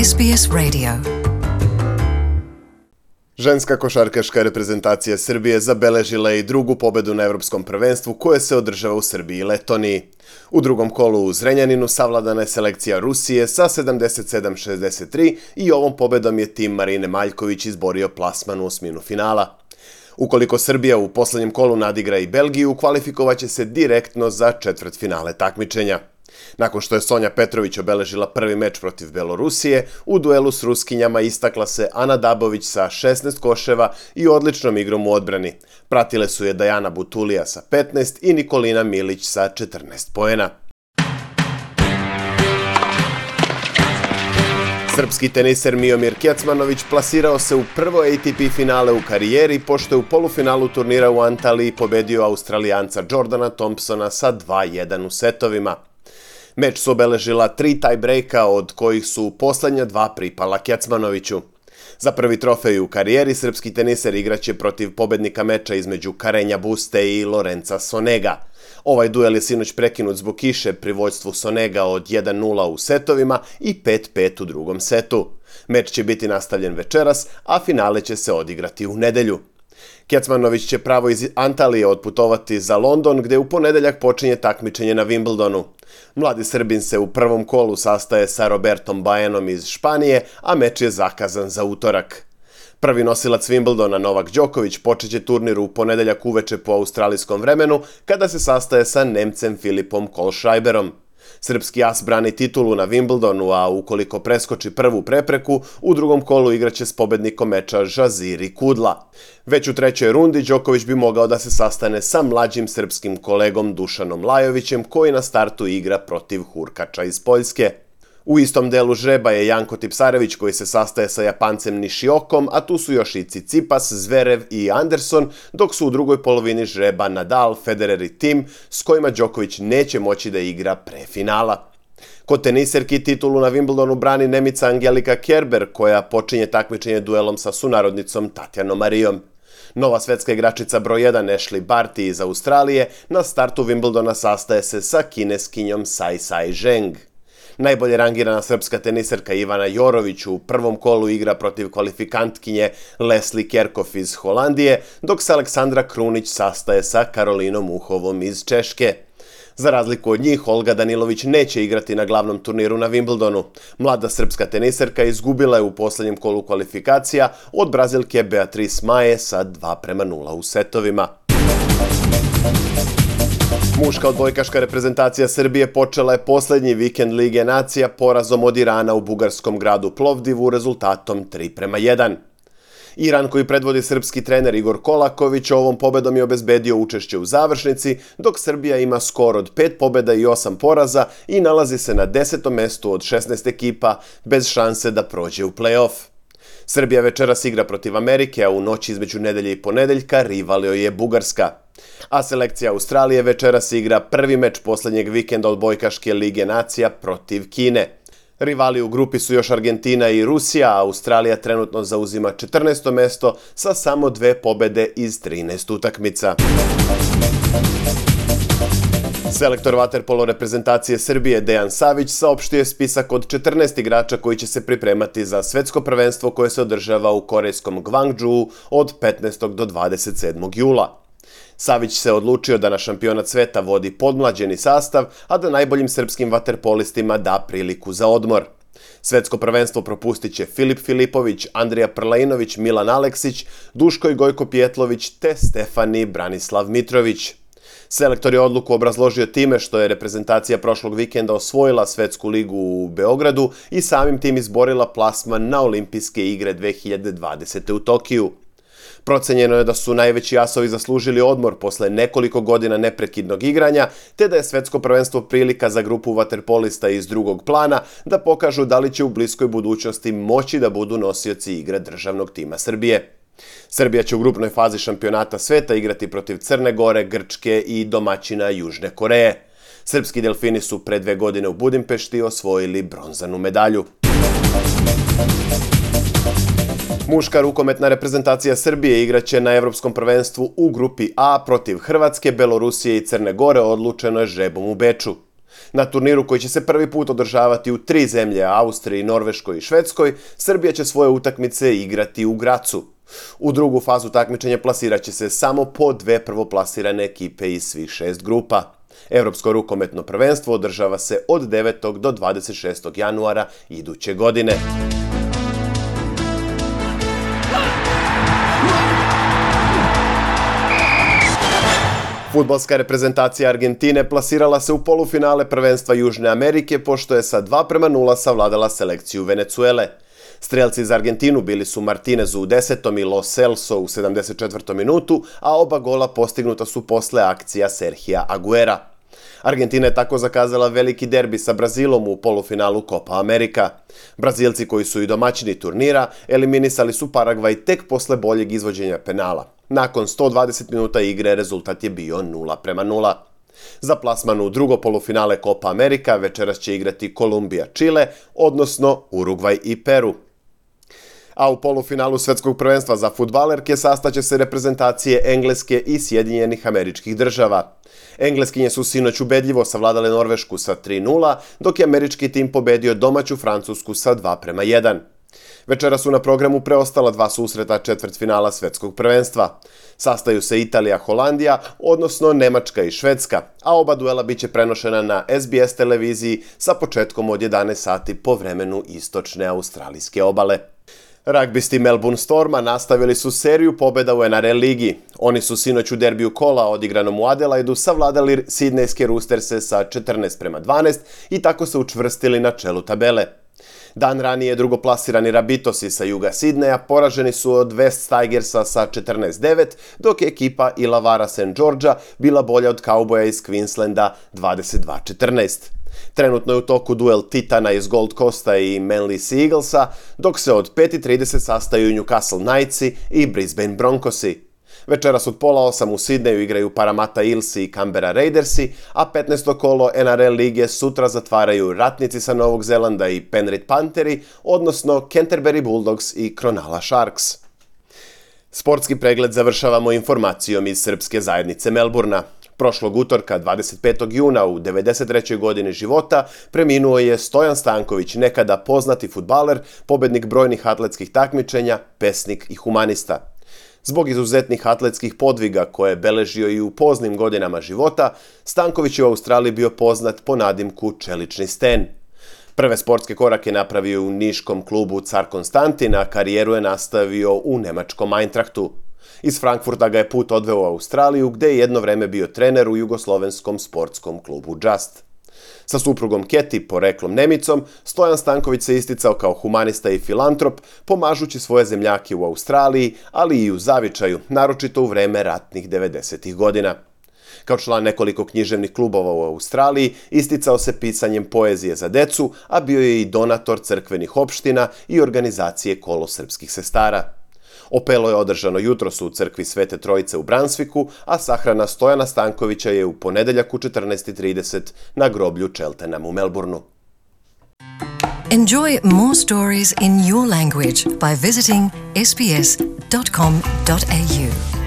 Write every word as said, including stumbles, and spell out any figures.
S B S Radio. Ženska košarkaška reprezentacija Srbije zabeležila je i drugu pobedu na Evropskom prvenstvu koje se održava u Srbiji i Letoniji. U drugom kolu u Zrenjaninu savladana je selekcija Rusije sa sedamdeset sedam šezdeset tri i ovom pobedom je tim Marine Maljković izborio plasman u osminu finala. Ukoliko Srbija u poslednjem kolu nadigra i Belgiju, kvalifikovaće se direktno za četvrtfinale takmičenja. Nakon što je Sonja Petrović obeležila prvi meč protiv Belorusije, u duelu s Ruskinjama istakla se Ana Dabović sa šesnaest koševa i odličnom igrom u odbrani. Pratile su je Dajana Butulija sa petnaest i Nikolina Milić sa četrnaest poena. Srpski teniser Miomir Kecmanović plasirao se u prvo A T P finale u karijeri pošto je u polufinalu turnira u Antaliji pobedio Australijanca Jordana Thompsona sa dva jedan u setovima. Meč su obeležila tri tie-breaka, od kojih su poslednja dva pripala Kecmanoviću. Za prvi trofej u karijeri srpski teniser igraće protiv pobednika meča između Karenja Buste i Lorenza Sonega. Ovaj duel je sinoć prekinut zbog kiše pri vođstvu Sonega od jedan nula u setovima i pet pet u drugom setu. Meč će biti nastavljen večeras, a finale će se odigrati u nedelju. Kecmanović će pravo iz Antalije otputovati za London, gde u ponedeljak počinje takmičenje na Wimbledonu. Mladi Srbin se u prvom kolu sastaje sa Robertom Bajanom iz Španije, a meč je zakazan za utorak. Prvi nosilac Wimbledona Novak Đoković počeće turnir u ponedeljak uveče po australijskom vremenu, kada se sastaje sa Nemcem Filipom Kohlschreiberom. Srpski as brani titulu na Wimbledonu, a ukoliko preskoči prvu prepreku, u drugom kolu igraće s pobednikom meča Žaziri Kudla. Već u trećoj rundi Đoković bi mogao da se sastane sa mlađim srpskim kolegom Dušanom Lajovićem, koji na startu igra protiv Hurkača iz Poljske. U istom delu žreba je Janko Tipsarević koji se sastaje sa Japancem Nishiokom, a tu su još i Tsitsipas, Zverev i Anderson, dok su u drugoj polovini žreba Nadal, Federer i Tim, s kojima Đoković neće moći da igra pre finala. Kod teniserki titulu na Wimbledonu brani Nemica Angelika Kerber, koja počinje takmičenje duelom sa sunarodnicom Tatjanom Marijom. Nova svetska igračica broj jedan Ashley Barty iz Australije na startu Wimbledona sastaje se sa kineskinjom Sai Sai Zheng. Najbolje rangirana srpska teniserka Ivana Jorović u prvom kolu igra protiv kvalifikantkinje Leslie Kerkhoff iz Holandije, dok se Aleksandra Krunić sastaje sa Karolinom Uhovom iz Češke. Za razliku od njih, Olga Danilović neće igrati na glavnom turniru na Wimbledonu. Mlada srpska teniserka izgubila je u poslednjem kolu kvalifikacija od Brazilke Beatrice Maje sa dva prema nula u setovima. Muška odbojkaška reprezentacija Srbije počela je poslednji vikend Lige nacija porazom od Irana u bugarskom gradu Plovdivu rezultatom tri prema jedan. Iran, koji predvodi srpski trener Igor Kolaković, ovom pobedom je obezbedio učešće u završnici, dok Srbija ima skor od pet pobeda i osam poraza i nalazi se na desetom mestu od šesnaest ekipa bez šanse da prođe u play-off. Srbija večeras igra protiv Amerike, a u noći između nedelje i ponedeljka rival joj je Bugarska. A selekcija Australije večeras igra prvi meč poslednjeg vikenda odbojkaške Lige nacija protiv Kine. Rivali u grupi su još Argentina i Rusija, a Australija trenutno zauzima četrnaesto mesto sa samo dve pobede iz trinaest utakmica. Selektor vaterpolo reprezentacije Srbije Dejan Savić saopštio je spisak od četrnaest igrača koji će se pripremati za svetsko prvenstvo koje se održava u korejskom Gwangju od petnaestog do dvadeset sedmog jula. Savić se odlučio da na šampionat sveta vodi podmlađeni sastav, a da najboljim srpskim vaterpolistima da priliku za odmor. Svetsko prvenstvo propustit će Filip Filipović, Andrija Prlainović, Milan Aleksić, Duško i Gojko Pjetlović te Stefani Branislav Mitrović. Selektor je odluku obrazložio time što je reprezentacija prošlog vikenda osvojila svetsku ligu u Beogradu i samim tim izborila plasman na olimpijske igre dve hiljade dvadesete. u Tokiju. Procenjeno je da su najveći asovi zaslužili odmor posle nekoliko godina neprekidnog igranja, te da je svetsko prvenstvo prilika za grupu vaterpolista iz drugog plana da pokažu da li će u bliskoj budućnosti moći da budu nosioci igre državnog tima Srbije. Srbija će u grupnoj fazi šampionata sveta igrati protiv Crne Gore, Grčke i domaćina Južne Koreje. Srpski delfini su pre dve godine u Budimpešti osvojili bronzanu medalju. Muška rukometna reprezentacija Srbije igraće na Evropskom prvenstvu u grupi A protiv Hrvatske, Belorusije i Crne Gore, odlučeno je žrebom u Beču. Na turniru koji će se prvi put održavati u tri zemlje, Austriji, Norveškoj i Švedskoj, Srbija će svoje utakmice igrati u Gracu. U drugu fazu takmičenja plasirat će se samo po dve prvoplasirane ekipe iz svih šest grupa. Evropsko rukometno prvenstvo održava se od devetog do dvadeset šestog januara iduće godine. Fudbalska reprezentacija Argentine plasirala se u polufinale prvenstva Južne Amerike pošto je sa dva prema nula savladala selekciju Venecuele. Strelci za Argentinu bili su Martinez u desetom i Lo Celso u sedamdeset četvrtom minutu, a oba gola postignuta su posle akcija Serhija Aguera. Argentina je tako zakazala veliki derbi sa Brazilom u polufinalu Copa America. Brazilci, koji su i domaćini turnira, eliminisali su Paragvaj tek posle boljeg izvođenja penala. Nakon sto dvadeset minuta igre rezultat je bio nula prema nula. Za plasman u drugo polufinale Copa America večeras će igrati Kolumbija, Čile, odnosno Urugvaj i Peru. A u polufinalu svetskog prvenstva za fudbalerke sastaće se reprezentacije Engleske i Sjedinjenih Američkih Država. Engleskinje su sinoć ubedljivo savladale Norvešku sa tri nula, dok je američki tim pobedio domaću Francusku sa dva prema jedan. Večera su na programu preostala dva susreta četvrtfinala svetskog prvenstva. Sastaju se Italija-Holandija, odnosno Nemačka i Švedska, a oba duela biće prenošena na S B S televiziji sa početkom od jedanaest sati po vremenu istočne australijske obale. Ragbisti Melbourne Storma nastavili su seriju pobjeda u N R L ligi. Oni su sinoć u derbiju kola odigranom u Adelaidu savladali sidnejske Roosterse sa četrnaest prema dvanaest i tako se učvrstili na čelu tabele. Dan ranije drugoplasirani Rabitosi sa juga Sidneja poraženi su od West Tigersa sa četrnaest devet, dok je ekipa Illawarra Saint Georgea bila bolja od Cowboya iz Queenslanda dvadeset dva četrnaest. Trenutno je u toku duel Titana iz Gold Coasta i Manly Sea Eaglesa, dok se od pet i trideset sastaju Newcastle Knightsi i Brisbane Broncosi. Večeras od pola osam u Sidneju igraju Parramatta Eelsi i Canberra Raidersi, a petnaesto kolo N R L lige sutra zatvaraju Ratnici sa Novog Zelanda i Penrith Pantheri, odnosno Canterbury Bulldogs i Cronulla Sharks. Sportski pregled završavamo informacijom iz srpske zajednice Melburna. Prošlog utorka, dvadeset petog juna u devedeset trećoj godini života, preminuo je Stojan Stanković, nekada poznati fudbaler, pobednik brojnih atletskih takmičenja, pesnik i humanista. Zbog izuzetnih atletskih podviga koje je beležio i u poznim godinama života, Stanković je u Australiji bio poznat po nadimku Čelični sten. Prve sportske korake napravio u niškom klubu Car Konstantin, a karijeru je nastavio u nemačkom Eintrachtu. Iz Frankfurta ga je put odveo u Australiju, gde je jedno vreme bio trener u jugoslovenskom sportskom klubu Just. Sa suprugom Keti, poreklom Nemicom, Stojan Stanković se isticao kao humanista i filantrop, pomažući svoje zemljake u Australiji, ali i u zavičaju, naročito u vreme ratnih devedesetih godina. Kao član nekoliko književnih klubova u Australiji, isticao se pisanjem poezije za decu, a bio je i donator crkvenih opština i organizacije Kolo srpskih sestara. Opelo je održano jutros u crkvi Svete Trojice u Brunswicku, a sahrana Stojana Stankovića je u ponedeljak u četrnaest i trideset na groblju Cheltenham u Melbourneu. Enjoy more stories in your language by visiting s b s dot com dot a u.